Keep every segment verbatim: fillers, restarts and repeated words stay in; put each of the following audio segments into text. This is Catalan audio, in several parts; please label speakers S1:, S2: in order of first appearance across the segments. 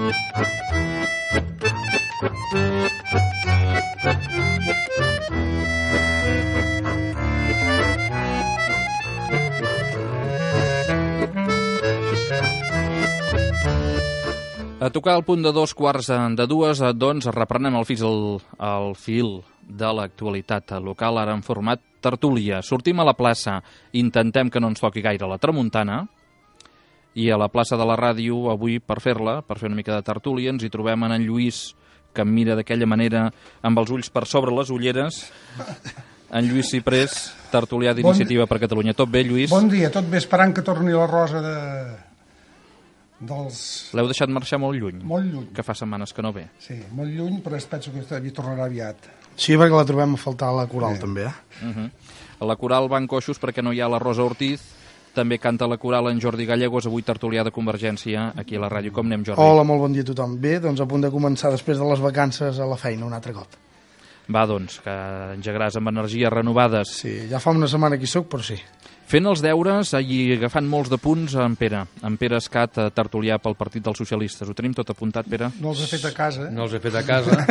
S1: A tocar el punt de dos quarts de dues, doncs reprenem el fil, el, el fil de l'actualitat local, ara en format tertúlia. Sortim a la plaça, intentem que no ens toqui gaire la tramuntana, i a la plaça de la ràdio, avui, per fer-la, per fer una mica de tertúlia, ens hi trobem en en Lluís, que em mira d'aquella manera, amb els ulls per sobre les ulleres. En Lluís Ciprés, tertulià d'Iniciativa bon... per Catalunya. Tot bé, Lluís?
S2: Bon dia, tot bé, esperant que torni la rosa de... dels...
S1: L'heu deixat marxar molt lluny?
S2: Molt lluny.
S1: Que fa setmanes que no ve.
S2: Sí, molt lluny, però penso que hi tornarà aviat.
S3: Sí, perquè la trobem a faltar a la coral, sí. També, eh?
S1: Uh -huh. A la coral van coixos perquè no hi ha la Rosa Ortiz, també canta la coral en Jordi Gallegos, avui tertulià de Convergència, aquí a la ràdio. Com anem, Jordi?
S3: Hola, molt bon dia a tothom. Bé, doncs a punt de començar després de les vacances a la feina un altre cop.
S1: Va, doncs, que engegaràs amb energies renovades.
S3: Sí, ja fa una setmana que hi soc, però sí.
S1: Fent els deures i agafant molts de punts en Pere. En Pere Escat, tertulià pel Partit dels Socialistes. Ho tenim tot apuntat, Pere?
S2: No els he fet a casa. Eh?
S4: No els he fet a casa.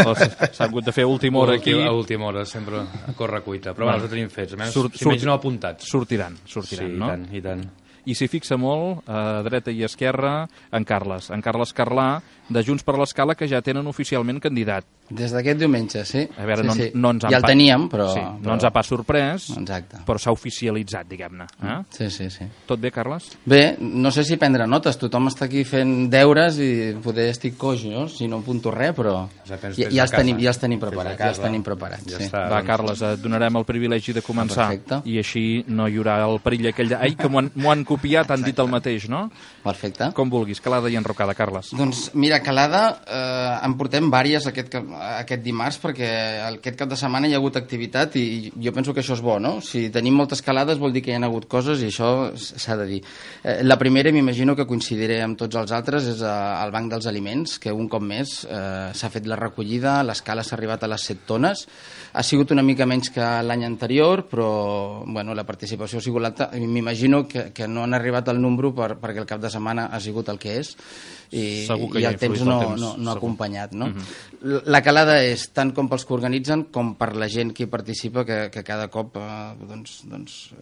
S1: S'ha hagut de fer a última hora aquí.
S4: A última hora, sempre a corre cuita. Però bueno, els tenim fets, almenys,
S1: Surt,
S4: si menys no apuntats.
S1: Sortiran, sortiran,
S4: sí,
S1: no?
S4: Sí, i tant, i tant.
S1: I s'hi fixa molt, a dreta i esquerra, en Carles. En Carles Carlà, de Junts per l'Escala, que ja tenen oficialment candidat.
S5: Des d'aquest diumenge, sí.
S1: A veure,
S5: sí,
S1: no,
S5: sí.
S1: no ens
S5: ja el teníem, però...
S1: Sí,
S5: però...
S1: no ens ha pas sorprès,
S5: exacte.
S1: Però s'ha oficialitzat, diguem-ne. Eh?
S5: Sí, sí, sí.
S1: Tot bé, Carles?
S5: Bé, no sé si prendre notes. Tothom està aquí fent deures i poder estic coix, no? Si no apunto res, però... Ja, ja, els, tenim, ja els tenim preparats. Ja els tenim preparats, ja sí.
S1: Està, Va, doncs... Carles, et donarem el privilegi de començar.
S5: Perfecte.
S1: I així no hi haurà el perill aquell de... Ai, que m'ho han, han copiat, han dit el mateix, no?
S5: Perfecte.
S1: Com vulguis, calada i enrocada, Carles.
S5: Doncs mira, calada, eh, en portem vàries aquest, aquest dimarts, perquè aquest cap de setmana hi ha hagut activitat i jo penso que això és bo, no? Si tenim moltes calades vol dir que hi ha hagut coses i això s'ha de dir. Eh, la primera, m'imagino que coincidiré amb tots els altres, és el Banc dels Aliments, que un cop més eh, s'ha fet la recollida, l'escala s'ha arribat a les set tones, ha sigut una mica menys que l'any anterior, però bueno, la participació ha sigut alta. M'imagino que, que no han arribat al número per, perquè el cap de setmana ha sigut el que és i, i el temps no, temps, no, no ha acompanyat, no? Uh-huh. La calada és tant com pels que organitzen com per la gent que hi participa, que, que cada cop eh, doncs, doncs, eh,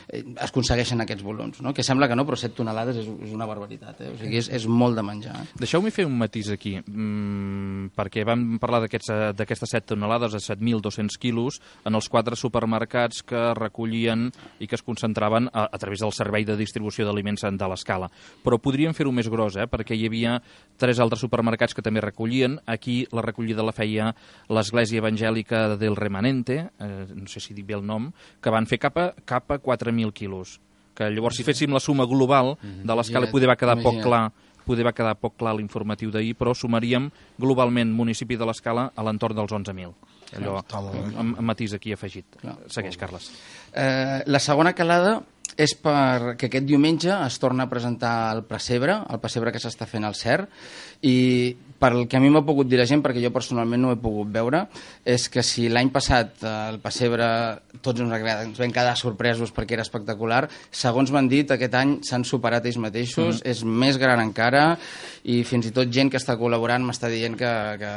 S5: es aconsegueixen aquests volums, no? Que sembla que no, però set tonelades és, és una barbaritat, eh? O sigui, és, és molt de menjar. Eh?
S1: Deixeu-me fer un matís aquí, mm, perquè vam parlar d'aquestes set tonelades a set mil dos-cents quilos en els quatre supermercats que recollien i que es concentraven a, a través del servei de distribució d'aliments de l'Escala. Però podríem fer-ho més gros, eh? Perquè hi havia tres altres supermercats que també recollien. Aquí la recollida la feia l'Església Evangèlica del Remanente, eh, no sé si dic bé el nom, que van fer cap a, cap a quatre mil quilos. Que llavors, si féssim la suma global de l'Escala, poder va quedar poc clar poder va quedar poc clar l'informatiu d'ahir, però sumaríem globalment municipi de l'Escala a l'entorn dels onze mil. Allò, amb matís aquí afegit. Segueix, Carles.
S5: Eh, la segona calada és perquè aquest diumenge es torna a presentar el pessebre, el pessebre que s'està fent al C E R, i pel que a mi m'ha pogut dir la gent, perquè jo personalment no ho he pogut veure, és que si l'any passat el pessebre tots ens, ens vam quedar sorpresos perquè era espectacular, segons m'han dit, aquest any s'han superat ells mateixos, mm. és més gran encara, i fins i tot gent que està col·laborant m'està dient que, que,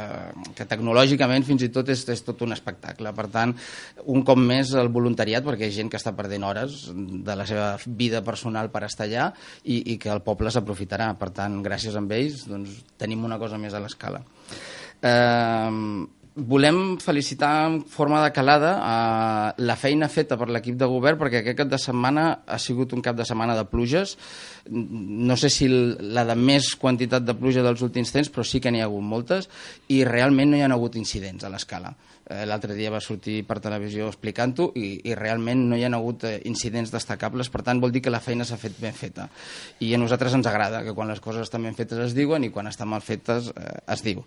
S5: que tecnològicament fins i tot és, és tot un espectacle. Per tant, un cop més el voluntariat, perquè hi ha gent que està perdent hores de la seva vida personal per estar allà i, i que el poble s'aprofitarà. Per tant, gràcies a ells, doncs, tenim una cosa més a l'Escala. Eh, volem felicitar en forma de calada eh, la feina feta per l'equip de govern, perquè aquest cap de setmana ha sigut un cap de setmana de pluges. No sé si la de més quantitat de pluja dels últims temps, però sí que n'hi ha hagut moltes i realment no hi ha hagut incidents a l'Escala. L'altre dia va sortir per televisió explicant-ho i, i realment no hi ha hagut incidents destacables, per tant vol dir que la feina s'ha fet ben feta. I a nosaltres ens agrada que quan les coses estan ben fetes es diuen i quan estan mal fetes eh, es diu.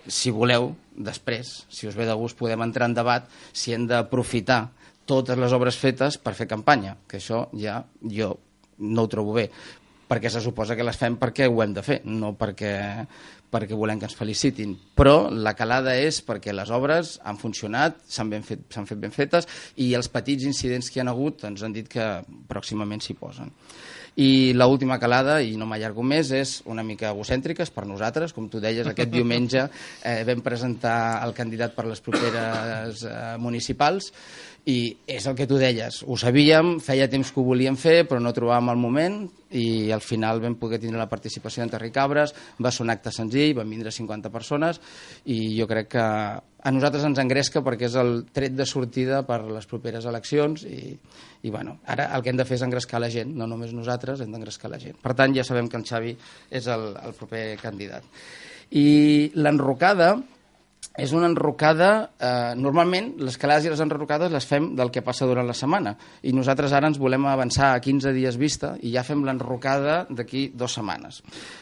S5: Si voleu, després, si us ve de gust, podem entrar en debat si hem d'aprofitar totes les obres fetes per fer campanya, que això ja jo no ho trobo bé, perquè se suposa que les fem perquè ho hem de fer, no perquè... perquè volem que ens felicitin, però la calada és perquè les obres han funcionat, s'han ben fet, s'han fet ben fetes i els petits incidents que hi ha hagut ens han dit que pròximament s'hi posen. I l'última calada, i no m'allargo més, és una mica egocèntrica, és per nosaltres, com tu deies, aquest diumenge eh, vam presentar el candidat per les properes eh, municipals, i és el que tu deies, ho sabíem, feia temps que ho volíem fer, però no trobàvem el moment, i al final vam poder tindre la participació d'en Terri Cabres, va ser un acte senzill, van vindre cinquanta persones, i jo crec que a nosaltres ens engresca perquè és el tret de sortida per les properes eleccions, i, i bueno, ara el que hem de fer és engrescar la gent, no només nosaltres, hem d'engrescar la gent. Per tant, ja sabem que el Xavi és el, el proper candidat. I l'enrocada és una enrocada, eh, normalment les calades i les enrocades les fem del que passa durant la setmana, i nosaltres ara ens volem avançar a quinze dies vista i ja fem l'enrocada d'aquí dues setmanes.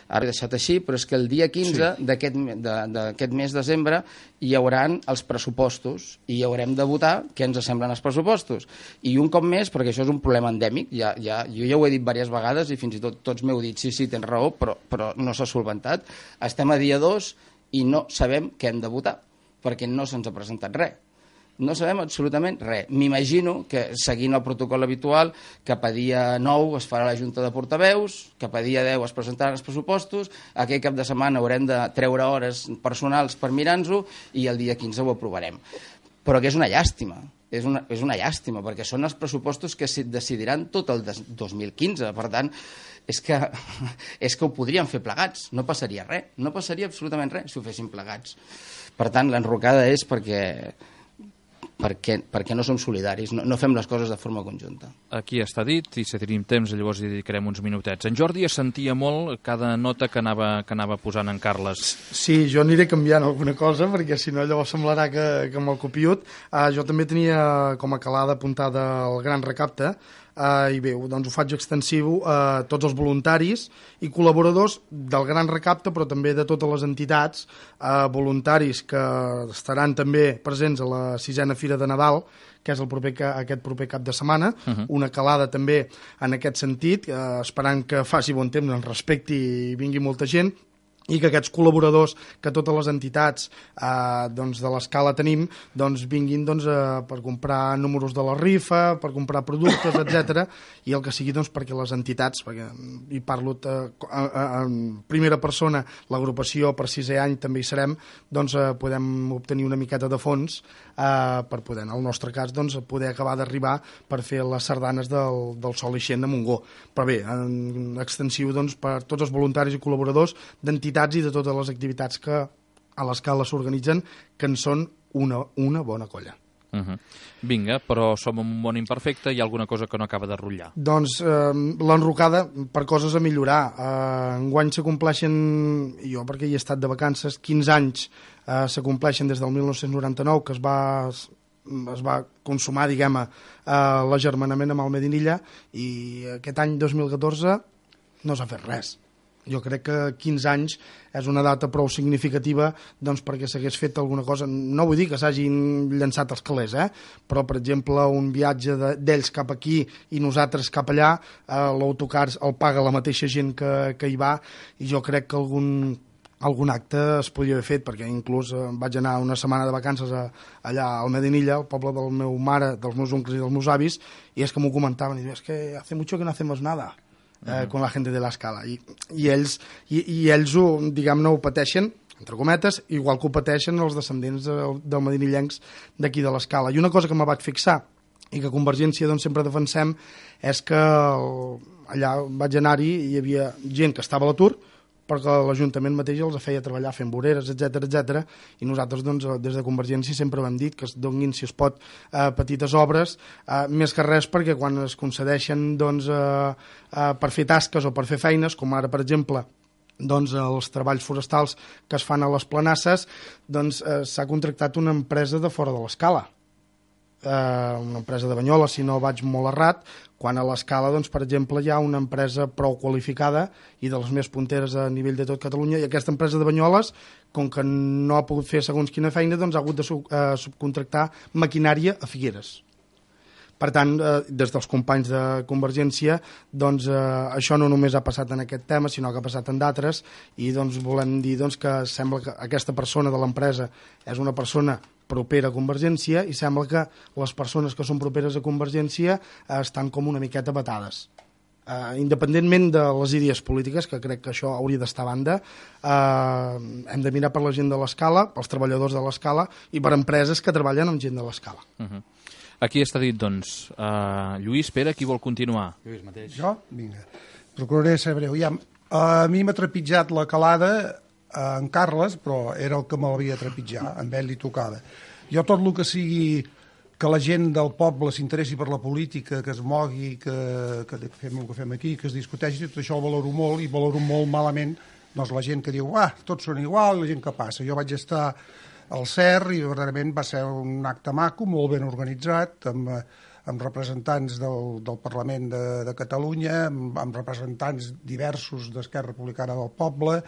S5: Ara he deixat així, però és que el dia quinze sí. d'aquest mes de desembre hi hauran els pressupostos i haurem de votar què ens semblen els pressupostos. I un cop més, perquè això és un problema endèmic, ja, ja, jo ja ho he dit diverses vegades i fins i tot tots m'heu dit sí, sí, tens raó, però, però no s'ha solventat. Estem a dia dos i no sabem què hem de votar, perquè no se'ns ha presentat res. No sabem absolutament res. M'imagino que, seguint el protocol habitual, cap a dia nou es farà la Junta de Portaveus, cap a dia deu es presentaran els pressupostos, aquell cap de setmana haurem de treure hores personals per mirar-nos-ho i el dia quinze ho aprovarem. Però que és una llàstima. És una, és una llàstima, perquè són els pressupostos que decidiran tot el dos mil quinze. Per tant, és que, és que ho podríem fer plegats. No passaria res. No passaria absolutament res si ho féssim plegats. Per tant, l'enrocada és perquè, perquè, perquè no som solidaris, no, no fem les coses de forma conjunta.
S1: Aquí està dit, i si tenim temps llavors hi dedicarem uns minutets. En Jordi es sentia molt cada nota que anava, que anava posant en Carles.
S3: Sí, jo aniré canviant alguna cosa, perquè si no llavors semblarà que, que me'l copiut. Uh, jo també tenia com a calada apuntada el gran recapte, Uh, i bé, doncs ho faig extensiu a tots els voluntaris i col·laboradors del Gran Recapte, però també de totes les entitats, uh, voluntaris que estaran també presents a la sisena Fira de Nadal, que és el proper, aquest proper cap de setmana, uh-huh. Una calada també en aquest sentit, uh, esperant que faci bon temps, ens respecti i vingui molta gent, i que aquests col·laboradors que totes les entitats eh, doncs de l'escala tenim doncs vinguin doncs, eh, per comprar números de la rifa, per comprar productes, etcètera, i el que sigui doncs, perquè les entitats, perquè hi parlo eh, en primera persona, l'agrupació per sisè any també hi serem, doncs eh, podem obtenir una miqueta de fons eh, per poder, en el nostre cas, doncs, poder acabar d'arribar per fer les sardanes del, del Sol Ixent de Montgó. Però bé, en extensiu doncs, per tots els voluntaris i col·laboradors d'entitats i de totes les activitats que a l'escala s'organitzen, que en són una, una bona colla.
S1: Uh-huh. Vinga, però som un món imperfecte, hi ha alguna cosa que no acaba de rotllar?
S3: Doncs eh, l'enrocada per coses a millorar. Eh, enguany s'acompleixen, jo perquè hi he estat de vacances, quinze anys eh, s'acompleixen des del mil nou-cents noranta-nou, que es va... es va consumar, diguem-ne, eh, l'agermanament amb el Medinilla, i aquest any dos mil catorze no s'ha fet res. Jo crec que quinze anys és una data prou significativa doncs, perquè s'hagués fet alguna cosa. No vull dir que s'hagin llançat els calés, eh? Però, per exemple, un viatge d'ells cap aquí i nosaltres cap allà, eh, l'autocar el paga la mateixa gent que, que hi va, i jo crec que algun, algun acte es podria haver fet, perquè inclús eh, vaig anar una setmana de vacances a, allà al Medinilla, al poble del meu mare, dels meus oncles i dels meus avis, i és que m'ho comentaven, i diuen, és que hace mucho que no hacemos nada. Eh, con la gent de l'escala, i, i ells, i, i ells ho, diguem-ne, ho pateixen, entre cometes, igual que ho pateixen els descendents del, del madinillencs d'aquí de l'escala. I una cosa que me vaig fixar i que Convergència doncs, sempre defensem és que el, allà vaig anar-hi i hi havia gent que estava a l'atur, perquè l'Ajuntament mateix els feia treballar fent voreres, etcètera, etcètera, i nosaltres doncs, des de Convergència sempre hem dit que es donin, si es pot, eh, petites obres, eh, més que res perquè quan es concedeixen doncs, eh, eh, per fer tasques o per fer feines, com ara, per exemple, doncs, els treballs forestals que es fan a les planasses, doncs, eh, s'ha contractat una empresa de fora de l'escala. Eh, una empresa de Banyoles, si no vaig molt errat, quan a l'escala, doncs, per exemple, hi ha una empresa prou qualificada i de les més punteres a nivell de tot Catalunya, i aquesta empresa de Banyoles, com que no ha pogut fer segons quina feina, doncs ha hagut de sub, eh, subcontractar maquinària a Figueres. Per tant, eh, des dels companys de Convergència, doncs, eh, això no només ha passat en aquest tema, sinó que ha passat en d'altres, i doncs, volem dir doncs, que sembla que aquesta persona de l'empresa és una persona propera a Convergència, i sembla que les persones que són properes a Convergència eh, estan com una miqueta batades. Uh, independentment de les idees polítiques, que crec que això hauria d'estar a banda, uh, hem de mirar per la gent de l'Escala, pels treballadors de l'Escala i per empreses que treballen amb gent de l'Escala.
S1: Uh -huh. Aquí està dit, doncs, uh, Lluís, Pere, qui vol continuar?
S4: Lluís mateix.
S2: Jo? Vinga. Procuraré ser breu. Ja, a mi m'ha trepitjat la calada en Carles, però era el que me l'havia trepitjat, amb ell li tocava. Jo tot el que sigui que la gent del poble s'interessi per la política, que es mogui, que, que fem el que fem aquí, que es discuteixi, tot això ho valoro molt, i valoro molt malament doncs, la gent que diu, ah, tots són igual, la gent que passa. Jo vaig estar al C E R i verdaderament va ser un acte maco, molt ben organitzat, amb, amb representants del, del Parlament de, de Catalunya, amb, amb representants diversos d'Esquerra Republicana del poble,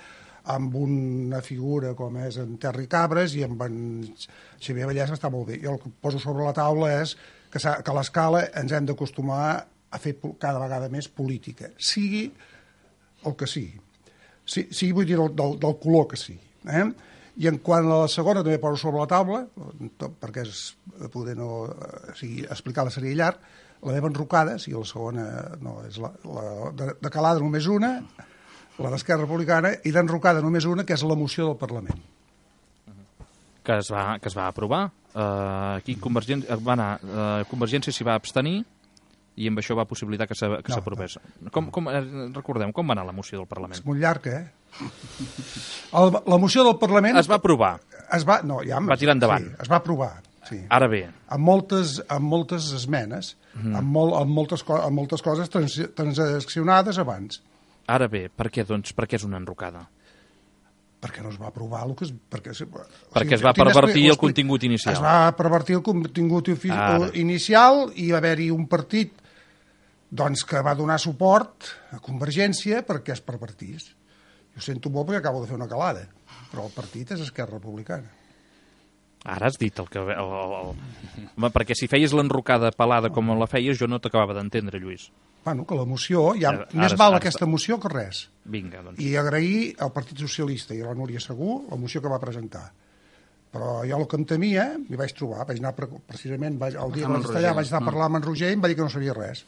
S2: amb una figura com és en Terri Cabres i amb en Xavier Vallès, està molt bé. Jo el que poso sobre la taula és que, que a l'Escala ens hem d'acostumar a fer cada vegada més política, sigui el que sigui. Sí, sí vull dir del, del, del color que sigui. Eh? I en quant a la segona també poso sobre la taula, perquè és poder no, o sigui, explicar-la seria llarg, la meva enrocada, si la segona no, és la, la de, de calada només una, la d'Esquerra Republicana, i d'enrocada només una, que és la moció del Parlament.
S1: Que es va, que es va aprovar. Uh, aquí Convergència, va anar, uh, Convergència s'hi va abstenir i amb això va possibilitar que s'aprovés. No, com, com, recordem, com va anar la moció del Parlament?
S2: És molt llarga, eh? El, la moció del Parlament...
S1: Es va aprovar.
S2: Es va, no, ja,
S1: va tirar endavant.
S2: Sí, es va aprovar. Sí.
S1: Ara bé.
S2: Amb moltes, amb moltes esmenes, mm. amb, molt, amb, moltes, amb moltes coses trans, transaccionades abans.
S1: Ara bé, per què, doncs, per què és una enrocada?
S2: Perquè no es va aprovar el que es... Perquè,
S1: perquè o sigui, es va pervertir el contingut inicial.
S2: Es va pervertir el contingut Ara. inicial i va haver-hi un partit doncs, que va donar suport a Convergència perquè es pervertís. Jo sento molt perquè acabo de fer una calada, però el partit és Esquerra Republicana.
S1: Ara has dit el que... El, el, el... Perquè si feies l'enrocada pelada com la feies, jo no t'acabava d'entendre, Lluís.
S2: Bueno, que la moció, ja
S1: ara,
S2: més
S1: ara,
S2: val
S1: ara,
S2: aquesta moció que res.
S1: Vinga, doncs.
S2: I agrair al Partit Socialista i a la Núria Segú la moció que va presentar. Però jo el que em temia, m'hi vaig trobar, vaig anar precisament, vaig, el dia que vaig estar allà, vaig anar a parlar amb en Roger i em va dir que no sabia res.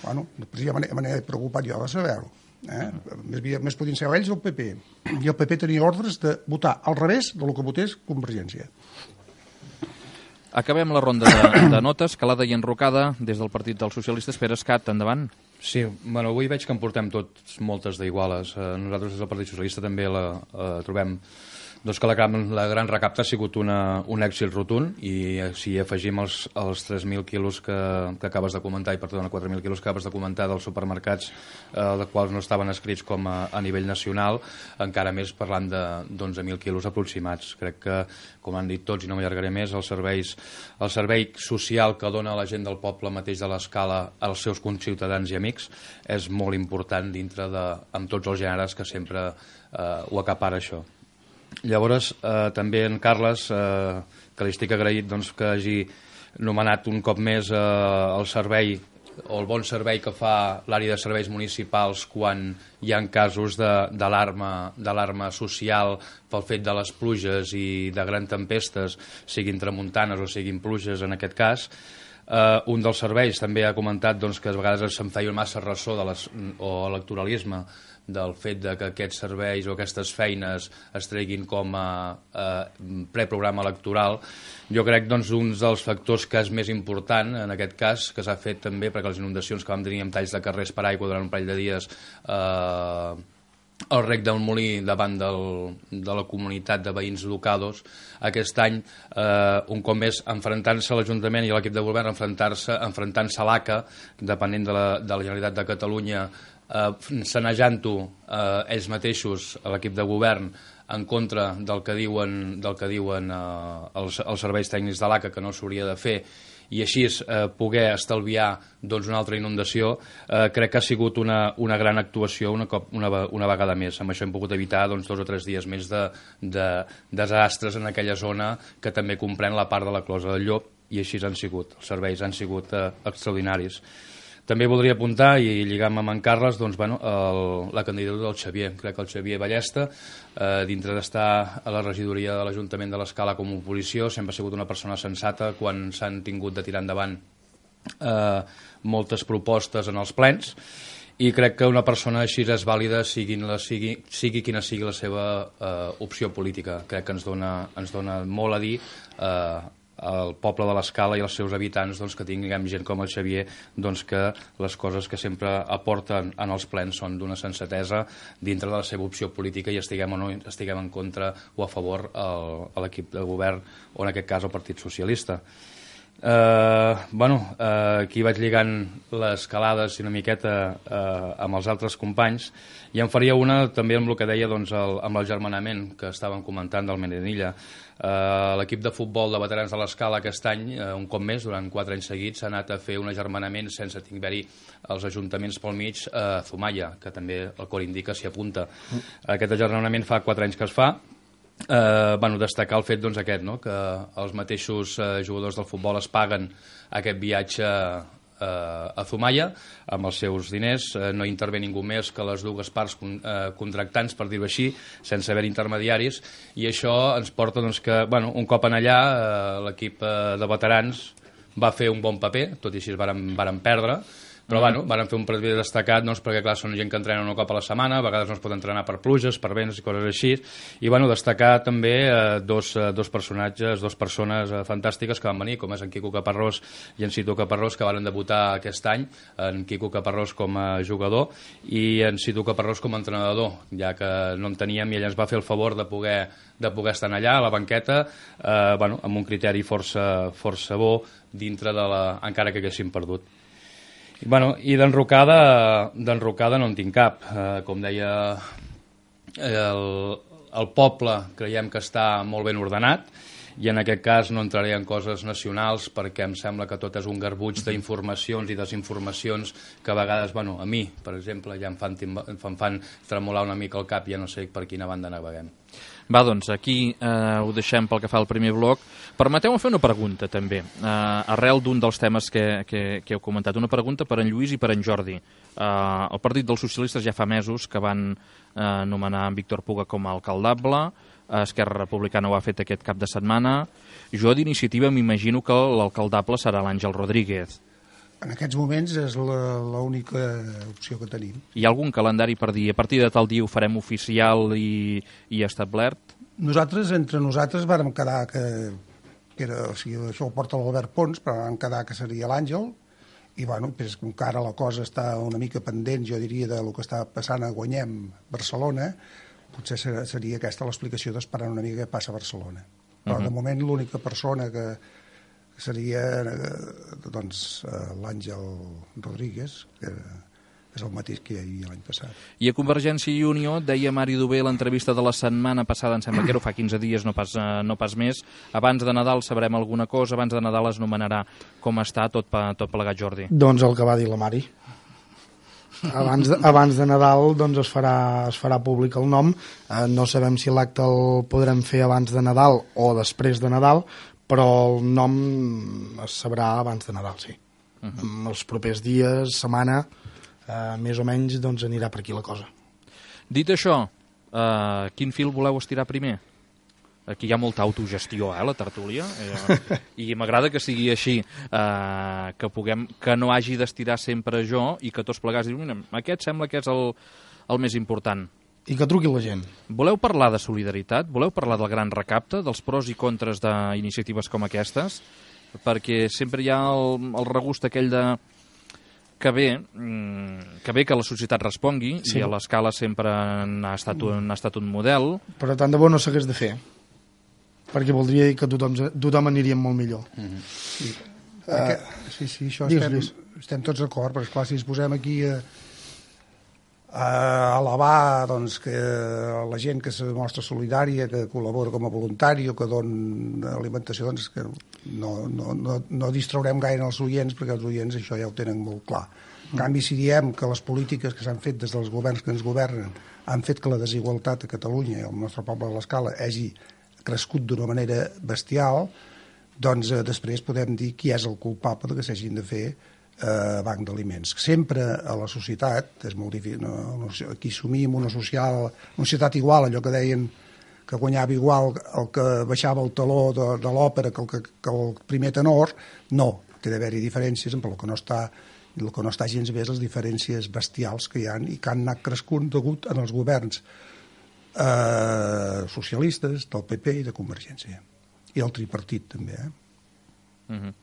S2: Bueno, després ja me n'he preocupat jo de saber-ho. Eh? Més, més podien ser ells o el P P. I el P P tenia ordres de votar al revés del que votés Convergència.
S1: Acabem la ronda de, de notes, calada i enrocada des del Partit dels Socialistes. Pere Escat, endavant.
S4: Sí, bueno, avui veig que en portem tots moltes d'iguales. Eh, nosaltres des del Partit Socialista també la eh, trobem doncs que la, la gran recapta ha sigut una, un èxit rotund i si afegim els, els tres mil quilos que, que acabes de comentar, i perdona, quatre mil quilos que acabes de comentar dels supermercats, eh, dels quals no estaven escrits com a, a nivell nacional, encara més parlant d'onze mil quilos aproximats. Crec que, com han dit tots i no m'allargaré més, els serveis, el servei social que dona la gent del poble mateix de l'Escala als seus conciutadans i amics és molt important dintre de, amb tots els gèneres que sempre eh, ho acapara això. Llavors, eh, també en Carles, eh, que li estic agraït doncs, que hagi nomenat un cop més eh, el servei o el bon servei que fa l'àrea de serveis municipals quan hi ha casos d'alarma social pel fet de les pluges i de grans tempestes, siguin tramuntanes o siguin pluges en aquest cas. Uh, un dels serveis també ha comentat doncs, que a vegades se'n feia massa ressò de les, o electoralisme del fet de que aquests serveis o aquestes feines es treguin com a, a preprograma electoral. Jo crec doncs, un dels factors que és més important en aquest cas, que s'ha fet també perquè les inundacions que vam tenir amb talls de carrers per aigua durant un parell de dies eh, el rec del Molí davant del, de la comunitat de veïns locados, aquest any, eh, un cop més, enfrontant-se a l'Ajuntament i a l'equip de govern, enfrontant-se enfrontant-se a l'A C A, depenent de la, de la Generalitat de Catalunya, eh, sanejant-ho eh, ells mateixos, a l'equip de govern, en contra del que diuen, del que diuen eh, els, els serveis tècnics de l'A C A, que no s'hauria de fer, i així eh, poder estalviar doncs, una altra inundació, eh, crec que ha sigut una, una gran actuació una, cop, una, una vegada més. Amb això hem pogut evitar doncs, dos o tres dies més de, de desastres en aquella zona que també comprèn la part de la Closa del Llop, i així han sigut. Els serveis han sigut eh, extraordinaris. També voldria apuntar, i lligant amb en Carles, doncs, bueno, el, la candidatura del Xavier. Crec que el Xavier Ballesta, eh, dintre d'estar a la regidoria de l'Ajuntament de l'Escala com a oposició, sempre ha sigut una persona sensata quan s'han tingut de tirar endavant eh, moltes propostes en els plens, i crec que una persona així és vàlida sigui, la, sigui, sigui quina sigui la seva eh, opció política. Crec que ens dona, ens dona molt a dir eh, al poble de l'Escala i als seus habitants doncs, que tinguem gent com el Xavier, doncs, que les coses que sempre aporten en els plens són d'una sensatesa dintre de la seva opció política i estiguem o no estiguem en contra o a favor el, a l'equip de govern o en aquest cas el Partit Socialista. Uh, bueno, uh, aquí vaig lligant les calades una miqueta uh, amb els altres companys i em faria una també amb el que deia doncs, el, amb el germanament que estàvem comentant del Medinilla. Uh, l'equip de futbol de veterans de l'Escala aquest any, uh, un cop més, durant quatre anys seguits, ha anat a fer un agermanament sense haver-hi els ajuntaments pel mig a uh, Zumaia, que també el cor indica s'hi apunta. Mm. Aquest agermanament fa quatre anys que es fa. Eh, bueno, destacar el fet doncs, aquest, no? Que els mateixos eh, jugadors del futbol es paguen aquest viatge eh, a Zumaia amb els seus diners, eh, no intervé ningú més que les dues parts con, eh, contractants, per dir-ho així, sense haver intermediaris, i això ens porta doncs, que bueno, un cop en allà eh, l'equip eh, de veterans va fer un bon paper, tot i així varen, varen perdre, però bueno, van fer un partit destacat doncs, perquè clar, són gent que entrena un cop a la setmana, a vegades no es pot entrenar per pluges, per vents i coses així, i bueno, destacar també eh, dos, eh, dos personatges, dos persones eh, fantàstiques que van venir, com és en Quico Caparrós i en Cito Caparrós, que van debutar aquest any, en Quico Caparrós com a jugador i en Cito Caparrós com a entrenador, ja que no en teníem i ell ens va fer el favor de poder, de poder estar allà a la banqueta, eh, bueno, amb un criteri força, força bo dintre de la... encara que haguéssim perdut. I, bueno, i d'enrocada d'enrocada no en tinc cap. Eh, com deia, el, el poble creiem que està molt ben ordenat i en aquest cas no entraré en coses nacionals perquè em sembla que tot és un garbuig d'informacions i desinformacions que a vegades, bueno, a mi, per exemple, ja em fan, em fan tremolar una mica el cap i ja no sé per quina banda naveguem.
S1: Va, doncs, aquí eh, ho deixem pel que fa al primer bloc. Permeteu-me fer una pregunta, també, eh, arrel d'un dels temes que, que, que heu comentat. Una pregunta per en Lluís i per en Jordi. Eh, el Partit dels Socialistes ja fa mesos que van eh, nomenar en Víctor Puga com a alcaldable, Esquerra Republicana ho ha fet aquest cap de setmana. Jo d'Iniciativa m'imagino que l'alcaldable serà l'Àngel Rodríguez.
S2: En aquests moments és l'única opció que tenim.
S1: Hi ha algun calendari per dir a partir de tal dia ho farem oficial i, i establert?
S2: Nosaltres, entre nosaltres, vàrem quedar que, que era, o sigui, això ho porta l'Albert Pons, però vam quedar que seria l'Àngel, i bueno, pues, com que ara la cosa està una mica pendent, jo diria, del que està passant a Guanyem, Barcelona, potser seria aquesta l'explicació d'esperar una mica què passa a Barcelona. Però uh-huh. de moment l'única persona que seria doncs, l'Àngel Rodríguez, que és el mateix que hi havia l'any passat.
S1: I a Convergència i Unió, deia Mari Duvé a l'entrevista de la setmana passada, em sembla que era fa quinze dies, no pas, no pas més, abans de Nadal sabrem alguna cosa, abans de Nadal es nomenarà com està tot, tot plegat, Jordi.
S3: Doncs el que va dir la Mari. Abans de, abans de Nadal doncs es farà, es farà públic el nom. Eh, no sabem si l'acte el podrem fer abans de Nadal o després de Nadal, però el nom es sabrà abans de Nadal, sí. Uh-huh. Els propers dies, setmana, eh, més o menys, doncs anirà per aquí la cosa.
S1: Dit això, eh, quin fil voleu estirar primer? Aquí hi ha molta autogestió, eh, la tertúlia, eh, i m'agrada que sigui així, eh, que, puguem, que no hagi d'estirar sempre jo i que tots plegats diuen, aquest sembla que és el, el més important.
S3: I que truqui la gent.
S1: Voleu parlar de solidaritat? Voleu parlar del gran recapte, dels pros i contres d'iniciatives com aquestes? Perquè sempre hi ha el, el regust aquell de que bé, que bé que la societat respongui, sí. I a l'Escala sempre n'ha estat, un, estat un model.
S3: Però tant de bo no s'hagués de fer, perquè voldria dir que tothom, tothom aniria molt millor. Mm-hmm.
S2: Sí. Uh, sí, sí, això estem, estem tots d'acord, però esclar, si ens posem aquí a, a alabar doncs, que la gent que se mostra solidària, que col·labora com a voluntari o que dona alimentació, doncs que no, no, no, no distraurem gaire els oients, perquè els oients això ja ho tenen molt clar. En canvi, si diem que les polítiques que s'han fet des dels governs que ens governen han fet que la desigualtat a Catalunya i al nostre poble de l'Escala hagi crescut d'una manera bestial, doncs eh, després podem dir qui és el culpable que s'hagin de fer eh, banc d'aliments. Sempre a la societat, és molt difícil, no, no, aquí assumim una, social, una societat igual, allò que deien que guanyava igual el que baixava el taló de, de l'òpera que el, que, que el primer tenor, no, té d'haver-hi diferències, però el que no està I el que no està gens bé és les diferències bestials que hi ha i que han anat crescut degut en els governs eh, socialistes, del P P i de Convergència. I el tripartit, també, eh?
S1: Mm-hmm.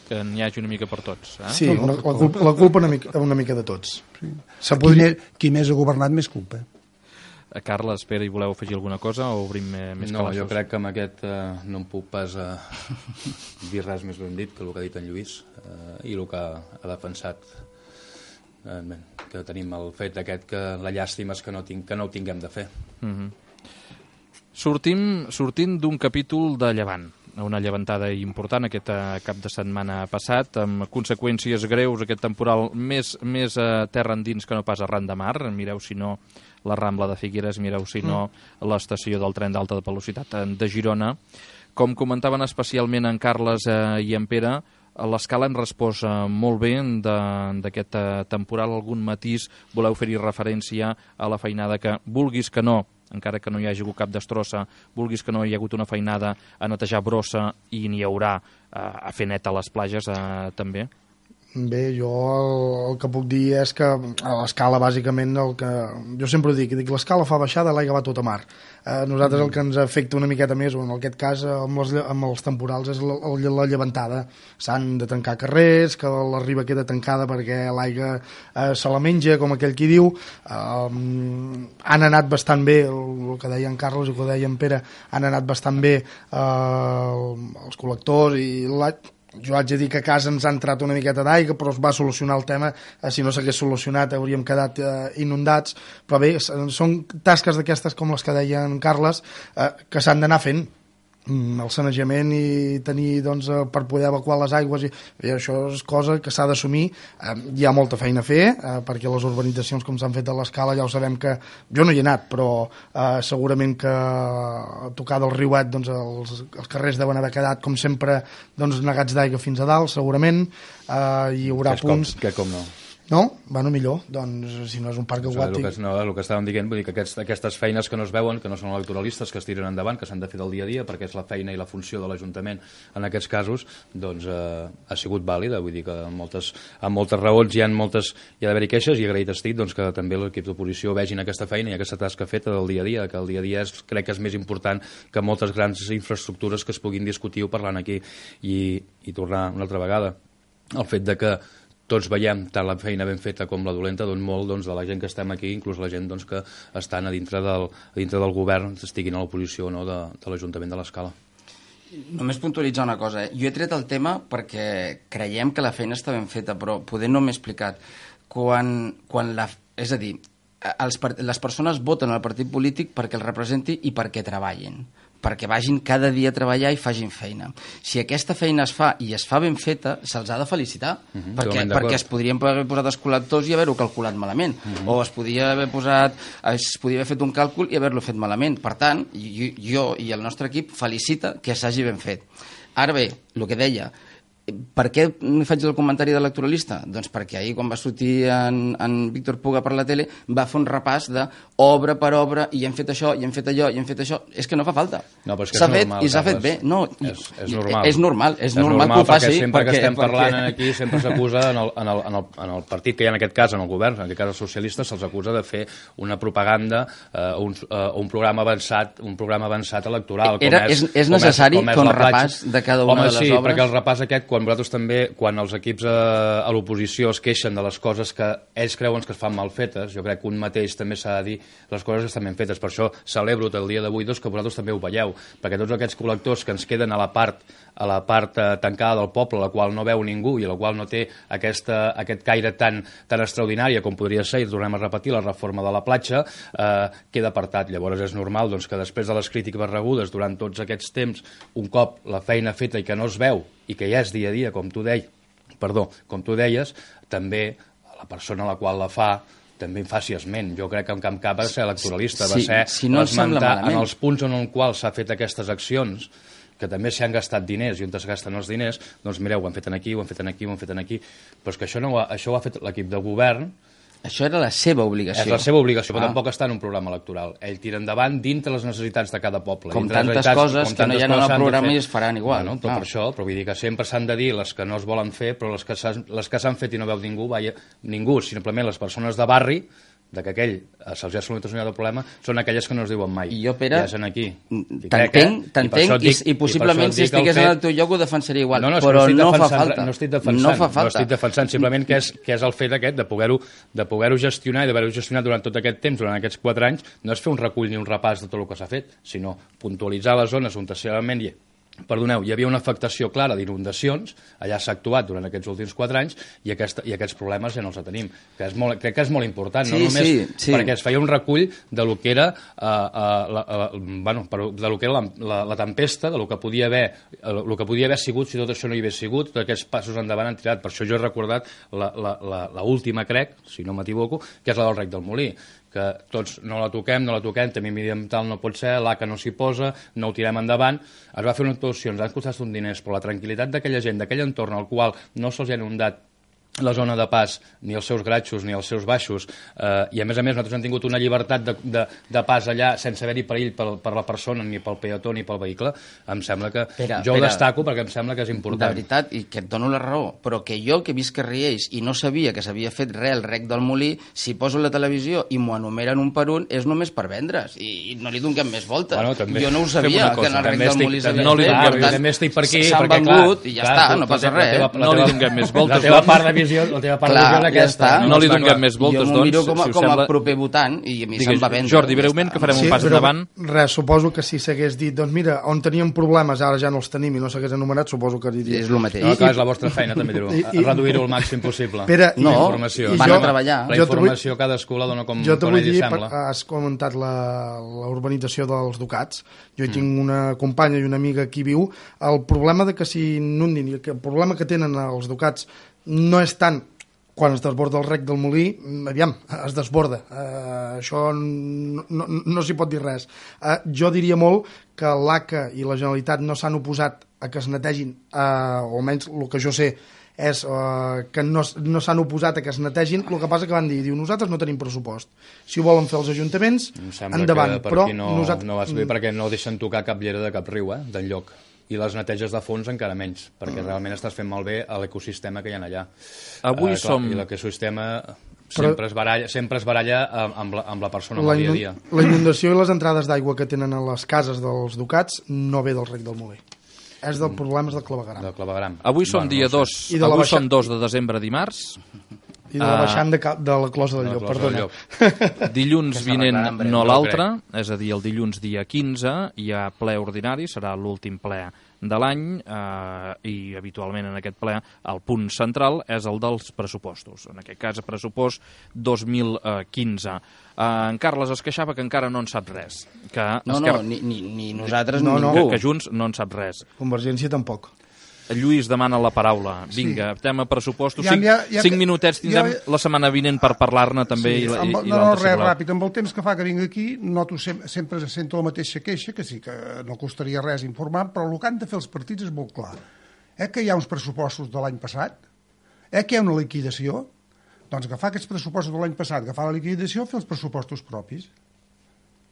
S1: Que n'hi hagi una mica per tots. Eh?
S3: Sí, una, la culpa, la culpa una, mica, una mica de tots.
S2: Sí.
S3: Se
S2: Qui,
S3: podria...
S2: més, qui més ha governat, més culpa.
S1: A Carles, Pere, hi voleu afegir alguna cosa o obrim més
S4: No,
S1: calaixos?
S4: jo crec que amb aquest eh, no em puc pas eh, dir res més ben dit que el que ha dit en Lluís eh, i el que ha defensat eh, que tenim el fet aquest que la llàstima és que no, tinc, que no ho tinguem de fer.
S1: Mm-hmm. Sortim, sortim d'un capítol de Llevant, una llevantada important aquest eh, cap de setmana passat, amb conseqüències greus, aquest temporal més, més a terra endins que no pas arran de mar. Mireu si no la Rambla de Figueres, mireu si no l'estació del tren d'alta velocitat de Girona. Com comentaven especialment en Carles eh, i en Pere, a l'escala hem respost eh, molt bé d'aquest eh, temporal. Algun matís voleu fer-hi referència a la feinada que, vulguis que no, encara que no hi hagi hagut cap destrossa, vulguis que no hi ha hagut una feinada a netejar brossa i n'hi haurà eh, a fer net a les platges eh, també?
S3: Bé, jo el, el que puc dir és que a l'escala, bàsicament, el que jo sempre ho dic, dic l'escala fa baixada, l'aigua va tot a mar. Eh, nosaltres el que ens afecta una miqueta més, o en aquest cas amb, les, amb els temporals, és la, la llevantada. S'han de tancar carrers, que la riba queda tancada perquè l'aigua eh, se la menja, com aquell qui diu. Eh, han anat bastant bé, el, el que deia en Carles i el que deia en Pere, han anat bastant bé eh, els col·lectors i la... Jo haig de dir que a casa ens ha entrat una miqueta d'aigua, però es va solucionar el tema. Eh, si no s'hagués solucionat hauríem quedat eh, inundats. Però bé, són tasques d'aquestes com les que deia en Carles, eh, que s'han d'anar fent. Mm, el sanejament i tenir, doncs, eh, per poder evacuar les aigües i, i això és cosa que s'ha d'assumir. Eh, hi ha molta feina a fer, eh, perquè les urbanitzacions com s'han fet a l'escala ja ho sabem que jo no hi he anat, però eh, segurament que a tocar del riuet, doncs, els, els carrers deuen haver quedat com sempre, doncs, negats d'aigua fins a dalt, segurament. Eh, hi haurà
S4: que
S3: punts
S4: com, que com no
S3: no? Bueno, millor, doncs, si no és un parc aquàtic.
S4: El que, no, el que estàvem dient, vull dir que aquests, aquestes feines que no es veuen, que no són electoralistes, que es tiren endavant, que s'han de fer del dia a dia, perquè és la feina i la funció de l'Ajuntament en aquests casos, doncs eh, ha sigut vàlida. Vull dir que amb moltes, amb moltes raons hi ha, moltes, hi ha d'haver-hi queixes, i agraït estic doncs, que també l'equip d'oposició vegin aquesta feina i aquesta tasca feta del dia a dia, que el dia a dia és, crec que és més important que moltes grans infraestructures que es puguin discutir o parlant aquí. I, i tornar una altra vegada el fet de que tots veiem tant la feina ben feta com la dolenta, doncs molt doncs, de la gent que estem aquí, inclús la gent doncs, que estan a dintre del, a dintre del govern, estiguin a l'oposició no, de, de l'Ajuntament de l'Escala.
S5: Només puntualitzar una cosa. Eh? Jo he tret el tema perquè creiem que la feina està ben feta, però poder no m'he explicat. Quan, quan la, és a dir, els, les persones voten al partit polític perquè el representi i perquè treballin, perquè vagin cada dia a treballar i facin feina. Si aquesta feina es fa i es fa ben feta, se'ls ha de felicitar, uh-huh, perquè, perquè es podrien haver posat els col·lectors i haver-ho calculat malament, uh-huh, o es podia haver posat, es podia haver fet un càlcul i haver-lo fet malament. Per tant, jo, jo i el nostre equip felicita que s'hagi ben fet. Ara bé, el que deia, per què faig el comentari d'electoralista? Doncs perquè ahir, quan va sortir en, en Víctor Puga per la tele, va fer un repàs de obra per obra, i hem fet això, i hem fet allò, i hem fet això. És que no fa falta.
S4: No, però és que
S5: s'ha
S4: és
S5: fet
S4: normal,
S5: i s'ha fet bé. No,
S4: és, és normal.
S5: És normal, és,
S4: és
S5: normal,
S4: normal
S5: que ho faci.
S4: Perquè sempre
S5: perquè,
S4: que estem
S5: perquè...
S4: parlant aquí sempre s'acusa en, el, en, el, en, el, en el partit que hi ha en aquest cas, en el govern, en aquest cas els socialistes, se'ls acusa de fer una propaganda, eh, un, uh, un programa avançat, un programa avançat electoral.
S5: Era,
S4: com és,
S5: és, és necessari
S4: com és,
S5: fer un
S4: repàs
S5: de cada una
S4: Home,
S5: de les
S4: sí,
S5: obres?
S4: perquè el repàs aquest, quan vosaltres també, quan els equips a, a l'oposició es queixen de les coses que ells creuen que es fan mal fetes, jo crec que un mateix també s'ha de dir les coses que estan ben fetes. Per això celebro el dia d'avui doncs, que vosaltres també ho veieu, perquè tots aquests col·lectors que ens queden a la part a la part eh, tancada del poble, la qual no veu ningú i la qual no té aquesta, aquest caire tan, tan extraordinària com podria ser, i tornem a repetir, la reforma de la platja, eh, queda apartat. Llavors és normal doncs, que després de les crítiques rebudes durant tots aquests temps, un cop la feina feta i que no es veu, i que ja és dia a dia, com tu deies, perdó, com tu deies, també la persona a la qual la fa també en faci esment. Jo crec que en cap cap va ser electoralista,
S5: sí,
S4: va ser
S5: si no
S4: esmentar en els punts en els quals s'ha fet aquestes accions, que també s'hi han gastat diners, i on es gasten els diners, doncs mireu, ho han fet aquí, ho han fet aquí, ho han fet aquí, però és que això, no ho ha, això ho ha fet l'equip de govern,
S5: Això era la seva obligació.
S4: És la seva obligació, però
S5: ah.
S4: tampoc està en un programa electoral. Ell tira endavant dintre les necessitats de cada poble.
S5: Com tantes coses que no hi ha en el programa i es faran igual.
S4: Bueno, tot ah. per això, però vull dir que sempre s'han de dir les que no es volen fer, però les que s'han fet i no veu ningú, vaja, ningú, simplement les persones de barri, de que aquell se'ls ha solucionat el problema, són aquelles que no es diuen mai.
S5: I jo, Pere,
S4: ja són aquí.
S5: t'entenc, t'entenc, i, i possiblement si estigués en el teu lloc ho defensaria igual,
S4: no, no,
S5: però
S4: no,
S5: no fa
S4: defensant,
S5: falta.
S4: No estic defensant,
S5: no fa falta.
S4: no estic defensant, simplement que és, que és el fet aquest de poder-ho de poder-ho gestionar i d'haver-ho gestionat durant tot aquest temps, durant aquests quatre anys, no és fer un recull ni un repàs de tot el que s'ha fet, sinó puntualitzar les zones on tercerament hi Perdoneu, hi havia una afectació clara d'inundacions, allà s'ha actuat durant aquests últims quatre anys i, aquesta, i aquests problemes ja no els tenim. Que és molt, crec que és molt important,
S5: sí,
S4: no només
S5: sí, sí.
S4: perquè es feia un recull de lo que era, uh, uh, la, uh, bueno, de lo que era la, la, la tempesta, de lo que podia haver, uh, lo que podia haver sigut si tot això no hi hagués sigut, tots aquests passos endavant han tirat. Per això jo he recordat l'última, crec, si no m'equivoco, que és la del Rec del Molí, que tots no la toquem, no la toquem, també mediambiental no pot ser, l'A C A no s'hi posa, no ho tirem endavant. Es va fer unes actuacions, han costat un diners, però la tranquil·litat d'aquella gent, d'aquell entorn al qual no se'ls ha inundat la zona de pas, ni els seus gratxos, ni els seus baixos, eh, i a més a més nosaltres hem tingut una llibertat de, de, de pas allà sense haver-hi perill per, per la persona, ni pel peató, ni pel vehicle, em sembla que... Pere, jo Pere, ho destaco perquè em sembla que és important.
S5: De veritat, i que et dono la raó, però que jo, que he vist que Riells i no sabia que s'havia fet res el Rec del Molí, si poso la televisió i m'ho enumeren un per un, és només per vendre's, i no li donem més voltes.
S4: Bueno, també,
S5: jo no ho sabia, que en el Rec del Molí s'havia
S4: no
S5: fet,
S4: per tant, també estic per aquí,
S5: s'han vengut i ja està, no passa res.
S1: No li donem més voltes.
S4: La teva part de visió, la teva part de visió aquesta.
S1: Ja no li donem més voltes, doncs.
S5: Jo m'ho miro com a, si com a sembla... proper votant i a mi se'm va vendre.
S1: Jordi, breument, que farem sí, un pas endavant.
S3: Res, suposo que si s'hagués dit, doncs mira, on teníem problemes, ara ja no els tenim i no s'hagués enumerat, suposo que diria...
S5: És el mateix.
S4: No, clar, és la vostra feina, també dir-ho. Reduir-ho al màxim possible.
S3: Pere,
S5: no,
S4: la informació.
S5: van a treballar.
S4: La informació cadascú la dona com,
S3: jo
S4: com ell li sembla.
S3: Has comentat la, la urbanització dels Ducats. Jo hi mm. tinc una companya i una amiga que hi viu. El problema de que s'inundin i el problema que tenen els Ducats no és tant quan es desborda el Rec del Molí, aviam, es desborda. Uh, això no, no, no s'hi pot dir res. Uh, jo diria molt que l'A C A i la Generalitat no s'han oposat a que es netegin, uh, o almenys el que jo sé és uh, que no, no s'han oposat a que es netegin, el que passa que van dir, diu, nosaltres no tenim pressupost. Si ho volen fer els ajuntaments, endavant.
S4: Per
S3: però
S4: no, nosaltres... no vas bé perquè no deixen tocar cap llera de cap riu, eh, d'enlloc. I les neteges de fons encara menys, perquè mm. realment estàs fent malbé a l'ecosistema que hi ha allà.
S1: Avui uh, clar, som...
S4: I l'ecosistema sempre, Però... es baralla, sempre es baralla amb la, amb la persona la, dia a dia.
S3: La inundació i les entrades d'aigua que tenen a les cases dels Ducats no ve del Rec del Molí. És del problemes del clavegueram.
S4: Del clavegueram.
S1: Avui som
S4: bueno,
S1: dia
S4: no
S1: dos, de avui baixant... som dos de desembre, dimarts.
S3: I de la baixant de, de la closa del Llop, perdona.
S1: Dilluns vinent, no l'altre, és a dir, el dilluns dia quinze, hi ha ple ordinari, serà l'últim ple de l'any, eh, i habitualment en aquest ple el punt central és el dels pressupostos, en aquest cas pressupost dos mil quinze. Eh, en Carles es queixava que encara no en sap res. Que
S5: no,
S1: Esquerra...
S5: no, ni, ni, ni nosaltres
S3: no,
S5: ni
S3: no.
S5: ningú.
S1: Que, que Junts no en sap res.
S3: Convergència tampoc.
S1: Lluís demana la paraula. Vinga, sí. Tema pressupostos.
S2: Ja,
S1: cinc,
S2: ja, ja,
S1: cinc minutets tindrem ja, ja... la setmana vinent per parlar-ne també.
S2: Sí,
S1: i, i,
S2: amb,
S1: i
S2: no, no, res ràpid. Amb el temps que fa que vinc aquí, noto sempre, sempre sento la mateixa queixa, que sí que no costaria res informar, però el que han de fer els partits és molt clar. Eh que hi ha uns pressupostos de l'any passat? Eh que hi ha una liquidació? Doncs agafar aquests pressupostos de l'any passat, agafar la liquidació, fer els pressupostos propis.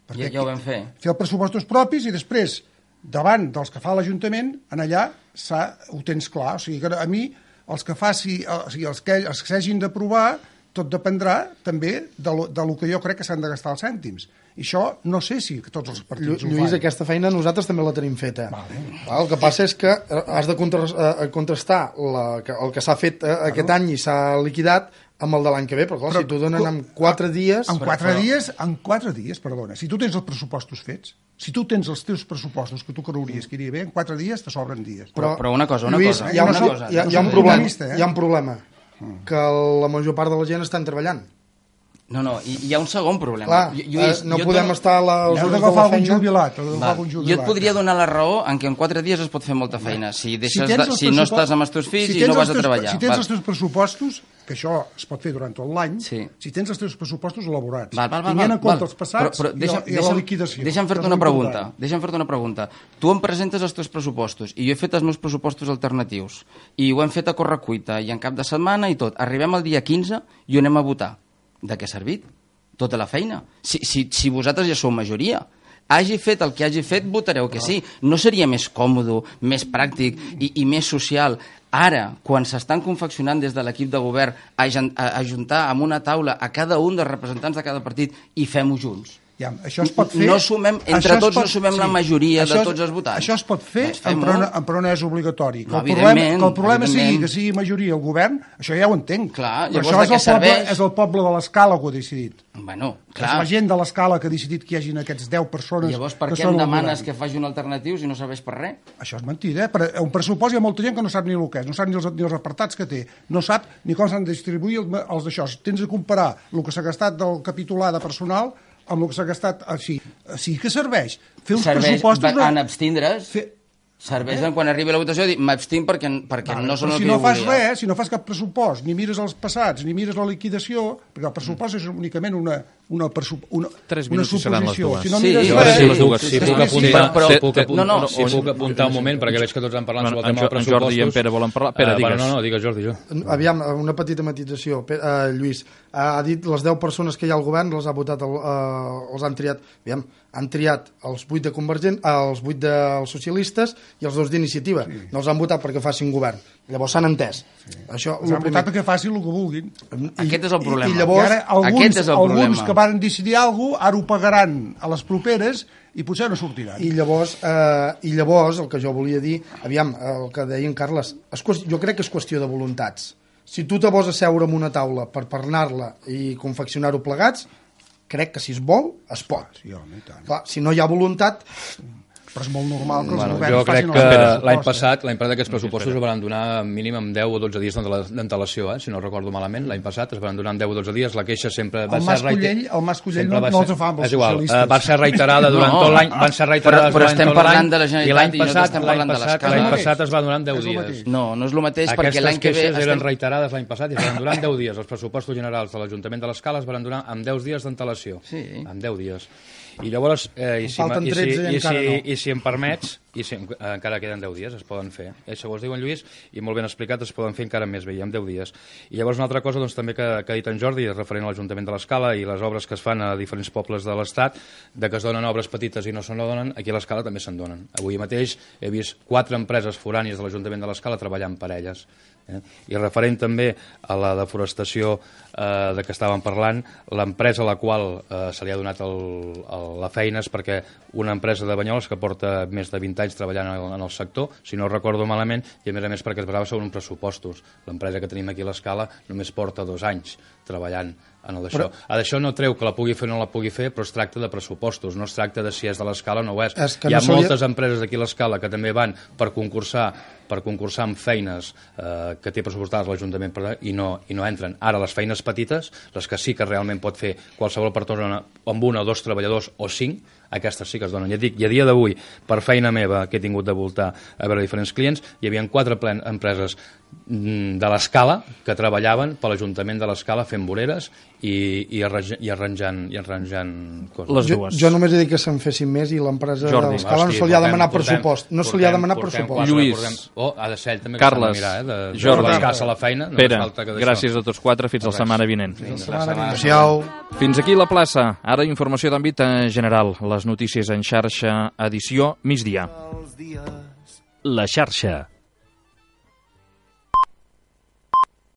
S5: Perquè ja, ja ho vam fer.
S2: Fer els pressupostos propis i després davant dels que fa l'Ajuntament, en allà ho tens clar. O sigui que a mi, els que faci, o sigui, els que els que s'hagin d'aprovar, tot dependrà també de lo, de lo que jo crec que s'han de gastar els cèntims. I això no sé si tots els partits Lluís, ho fan.
S3: Lluís, aquesta feina nosaltres també la tenim feta.
S2: Vale.
S3: El que passa és que has de contrastar la, el que s'ha fet claro. aquest any i s'ha liquidat amb el de l'any que ve, però clar, però, si t'ho donen en quatre dies...
S2: En quatre però, dies, en quatre dies, perdona, si tu tens els pressupostos fets, si tu tens els teus pressupostos que tu creuries que iria bé, en quatre dies te sobren dies.
S5: Però, però una cosa, una
S3: Lluís,
S5: cosa.
S3: Hi ha,
S5: una
S3: una,
S5: cosa.
S3: Hi ha, hi ha un problema, eh? hi ha un problema, que la major part de la gent estan treballant.
S5: No, no, hi, hi ha un segon problema.
S3: Clar, Lluís, eh, no podem dono... estar a les
S2: hores
S3: de la feina.
S2: Jubilat,
S5: jubilat. Jo et podria donar la raó en què en quatre dies es pot fer molta feina. Si, deixes si, de, si no estàs amb els teus fills si i no vas
S2: teus,
S5: a treballar.
S2: Si tens val. els teus pressupostos, que això es pot fer durant tot l'any, sí. si tens els teus pressupostos elaborats,
S5: val, val, val,
S2: tinguent en compte
S5: val.
S2: els passats
S5: però, però deixa,
S2: i, la, i la liquidació.
S5: Deixa'm fer-te una pregunta. Deixa'm fer-te una pregunta. Tu em presentes els teus pressupostos i jo he fet els meus pressupostos alternatius i ho hem fet a correcuita i en cap de setmana i tot. Arribem al dia quinze i ho anem a votar. de què ha servit tota la feina? Si, si, si vosaltres ja sou majoria, hagi fet el que hagi fet, votareu que sí. No seria més còmode, més pràctic i, i més social ara, quan s'estan confeccionant des de l'equip de govern, a, a, a juntar amb una taula a cada un dels representants de cada partit i fem-ho junts?
S2: Ja, això es pot fer...
S5: No sumem, entre tots pot, no sumem sí, la majoria de tots els votants.
S2: Això es pot fer, doncs però, no, però no és obligatori. Que
S5: no,
S2: el problema, que el problema sigui que sigui majoria el govern, això ja ho entenc.
S5: Clar,
S2: però això és el, poble, és el poble de l'Escala que ho ha decidit.
S5: Bueno, clar.
S2: És la gent de l'Escala que ha decidit que hi hagin aquests deu persones.
S5: Llavors, per què em demanes que faci un alternatiu si no serveix per res?
S2: Això és mentida, eh? Per un pressupost hi ha molta gent que no sap ni el que és, no sap ni els, ni els apartats que té, no sap ni com s'han de distribuir els d'això. Tens de comparar el que s'ha gastat del capitolà de personal amb el que s'ha gastat així. Sí que serveix. Fer uns
S5: serveix
S2: pressupostos...
S5: En abstindre's, fer... serveix eh? Quan arribi la votació dir m'abstinc perquè, perquè vale, no són el
S2: si
S5: que
S2: no
S5: jo
S2: fas
S5: volia.
S2: Res, si no fas cap pressupost, ni mires els passats, ni mires la liquidació, perquè el pressupost és únicament una, una, una, una suposició. Si no
S4: sí,
S2: mires
S4: sí,
S2: res...
S4: Sí, sí, sí, si puc apuntar,
S5: però,
S4: si puc apuntar,
S5: no, no,
S4: si puc apuntar un moment, perquè veig que tots han parlat sobre el tema dels pressupostos.
S1: En Jordi i en Pere volen parlar. Pere, digues.
S4: No, no, digues, Jordi, jo.
S3: Aviam, una petita matització. Lluís, ha dit les deu persones que hi ha al govern les ha votat, els han triat. Aviam, han triat els vuit de Convergent, els vuit dels socialistes i els dos d'iniciativa. Sí. No els han votat perquè facin govern. Llavors s'han entès. Sí. Això,
S2: els han votat perquè facin el que vulguin.
S5: I, Aquest és el problema.
S2: I, i llavors,
S5: I
S2: alguns,
S5: Aquest és el
S2: alguns
S5: problema.
S2: que van decidir alguna cosa, ara ho pagaran a les properes i potser no sortiran.
S3: I llavors, eh, i llavors el que jo volia dir, aviam, el que deia en Carles, és, jo crec que és qüestió de voluntats. Si tu te vols asseure en una taula per parlar-la i confeccionar-ho plegats, crec que si es vol, es pot.
S2: Sí, home, i tant.
S3: Clar, si no hi ha voluntat...
S2: Però és molt normal que els
S4: bueno,
S2: governs
S4: jo crec
S2: facin
S4: que
S2: els
S4: l'any passat, l'any passat aquests pressupostos es van donar mínim amb deu o dotze dies d'antelació, eh? Si no recordo malament, l'any passat es van donar amb deu o dotze dies, la queixa sempre va
S2: el
S4: ser
S2: reiterada. El Mas Collell no, no els fa amb els socialistes.
S4: Va ser reiterada durant
S5: no,
S4: tot l'any, van ser reiterades
S5: però, però estem parlant de la
S4: i
S5: Generalitat
S4: l'any
S5: i
S4: passat,
S5: estem parlant de l'escala.
S4: L'any passat es va donar amb deu dies.
S5: No, no és el mateix perquè l'any que ve...
S4: Aquestes queixes eren reiterades l'any passat i es van donar amb deu dies. Els pressupostos generals de l'Ajuntament de l'Escala es van donar amb deu dies d'antelació.
S5: Sí.
S4: Amb deu dies. I llavors, eh, i, si, i, si, i, si, no. i si em permets, i si, eh, encara queden deu dies, es poden fer. Eh, segons diu en Lluís, i molt ben explicat, es poden fer encara més bé, i amb deu dies. I llavors una altra cosa doncs, també que, que ha dit en Jordi, referent a l'Ajuntament de l'Escala i les obres que es fan a diferents pobles de l'Estat, de que es donen obres petites i no se donen, aquí a l'Escala també se'n donen. Avui mateix he vist quatre empreses forànies de l'Ajuntament de l'Escala treballant per elles. Eh? I referent també a la deforestació eh, de què estàvem parlant, l'empresa a la qual eh, se li ha donat el, el, la feina és perquè una empresa de Banyoles que porta més de vint anys treballant en el, en el sector, si no recordo malament, i a més a més perquè es basava sobre uns pressupostos. L'empresa que tenim aquí a l'Escala només porta dos anys treballant en el d'això. A d'això no treu que la pugui fer o no la pugui fer, però es tracta de pressupostos, no es tracta de si és de l'Escala o no ho és. és Hi ha no moltes solia... empreses aquí a l'Escala que també van per concursar per concursar amb feines eh, que té pressupostades l'Ajuntament i, no, i no entren. Ara, les feines petites, les que sí que realment pot fer qualsevol persona amb un o dos treballadors o cinc, aquestes sí que es donen. Ja dic, i a dia d'avui, per feina meva, que he tingut de voltar a veure diferents clients, hi havia quatre plen empreses de l'Escala que treballaven per l'Ajuntament de l'Escala fent voreres i, i, arranjant, i, arranjant, i arranjant coses.
S1: Les dues.
S3: Jo, jo només he dit que se'n fessin més i l'empresa de l'Escala no se li ha demanat pressupost. No se li ha demanat pressupost.
S1: Lluís,
S4: oh, ha de ser ell també
S1: Carles,
S4: que s'ha de mirar, eh, de,
S1: Jordi,
S4: de l'escassa la feina. No
S1: Pere,
S4: falta que
S1: gràcies a tots quatre, fins la setmana vinent.
S3: Fins la setmana vinent.
S1: Fins aquí la plaça. Ara informació d'àmbit general. Les notícies en xarxa, edició migdia.
S6: La xarxa.